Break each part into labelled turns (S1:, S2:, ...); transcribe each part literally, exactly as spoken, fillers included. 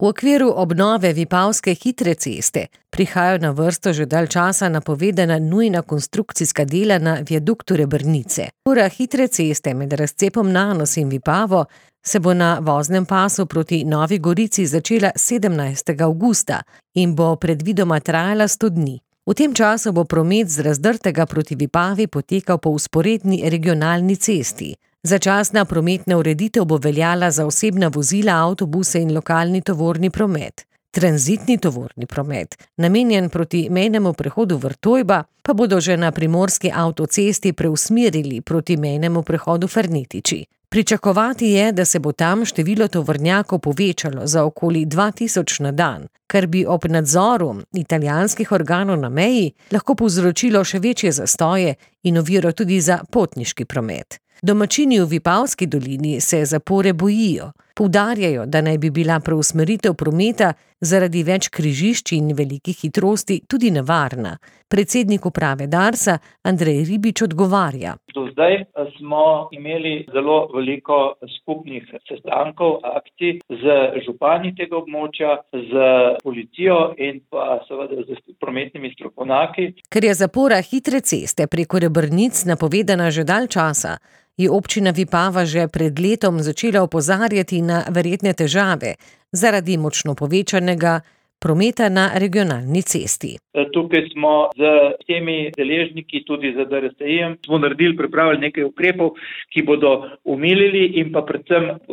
S1: V okviru obnove Vipavske hitre ceste prihajajo na vrsto že dalj časa napovedana nujna konstrukcijska dela na viaduktu Rebrnice. Ura hitre ceste med razcepom Nanos in Vipavo se bo na voznem pasu proti Novi Gorici začela sedemnajstega avgusta in bo predvidoma trajala sto dni. V tem času bo promet z Razdrtega proti Vipavi potekal po vzporedni regionalni cesti. Začasna prometna ureditev bo veljala za osebna vozila, avtobuse in lokalni tovorni promet. Tranzitni tovorni promet, namenjen proti mejnemu prehodu Vrtojba, pa bodo že na primorski avtocesti preusmerili proti mejnemu prehodu Fernetiči. Pričakovati je, da se bo tam število tovornjakov povečalo za okoli dva tisoč na dan, kar bi ob nadzoru italijanskih organov na meji lahko povzročilo še večje zastoje in oviro tudi za potniški promet. Domačini v Vipavski dolini se zapore bojijo. Poudarjajo, da naj bi bila preusmeritev prometa zaradi več križišč in velikih hitrosti tudi nevarna. Predsednik uprave Darsa Andrej Ribič odgovarja.
S2: Do zdaj smo imeli zelo veliko skupnih sestankov, akcij z župani tega območja, z policijo in pa seveda z prometnimi strokovnjaki.
S1: Ker je zapora hitre ceste preko Rebrnic napovedana že dalj časa, je občina Vipava že pred letom začela opozarjati na verjetne težave zaradi močno povečanega prometa na regionalni cesti.
S2: Tukaj smo z temi deležniki, tudi z D R S I-jem, smo naredili, pripravili nekaj ukrepov, ki bodo umilili in pa predvsem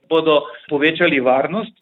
S2: bodo povečali varnost.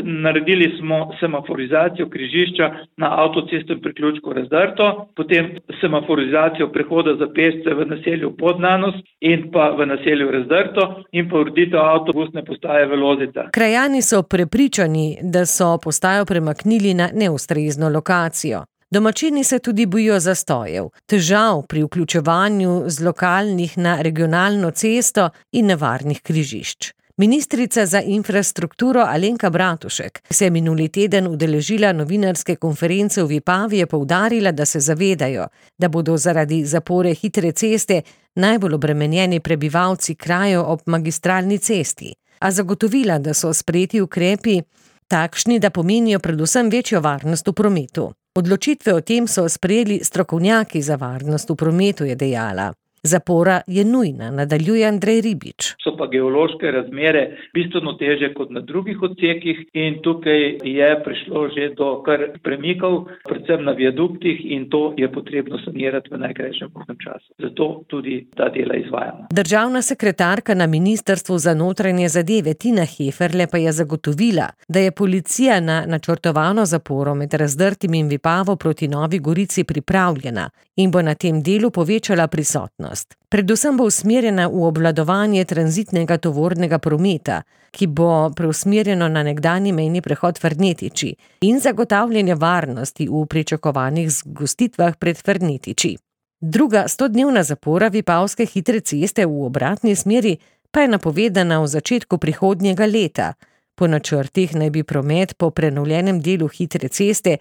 S2: Naredili smo semaforizacijo križišča na avtocestnem priključku Razdrto, potem semaforizacijo prehoda za pešce v naselju Podnanos in pa v naselju Razdrto in pa ureditev avtobusne postaje v Lozicah.
S1: Krajani so prepričani, da so postajo premaknili na neustrezno lokacijo. Domačini se tudi bojijo zastojev, težav pri vključevanju z lokalnih na regionalno cesto in nevarnih križišč. Ministrica za infrastrukturo Alenka Bratušek se je minuli teden udeležila novinarske konference v Vipavi, je poudarila, da se zavedajo, da bodo zaradi zapore hitre ceste najbolj obremenjeni prebivalci krajev ob magistralni cesti, a zagotovila, da so sprejeti ukrepi takšni, da pomenijo predvsem večjo varnost v prometu. Odločitve o tem so sprejeli strokovnjaki za varnost v prometu, je dejala. Zapora je nujna, nadaljuje Andrej Ribič.
S2: So pa geološke razmere bistveno težje kot na drugih odsekih in tukaj je prišlo že do kar premikov, predvsem na viaduktih, in to je potrebno sanirati v najkrajšem možnem času. Zato tudi ta dela izvajamo.
S1: Državna sekretarka na Ministrstvu za notranje zadeve Tina Heferle pa je zagotovila, da je policija na načrtovano zaporo med Razdrtim in Vipavo proti Novi Gorici pripravljena in bo na tem delu povečala prisotnost. Predvsem bo usmerjena v obvladovanje tranzitnega tovornega prometa, ki bo preusmerjeno na nekdanji mejni prehod Fernetiči, in zagotavljanje varnosti v pričakovanih zgostitvah pred Fernetiči. Druga stodnevna zapora Vipavske hitre ceste v obratni smeri pa je napovedana v začetku prihodnjega leta. Po načrtih naj bi promet po prenovljenem delu hitre ceste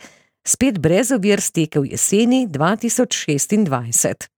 S1: spet brez ovir stekel jeseni dva tisoč šestindvajset.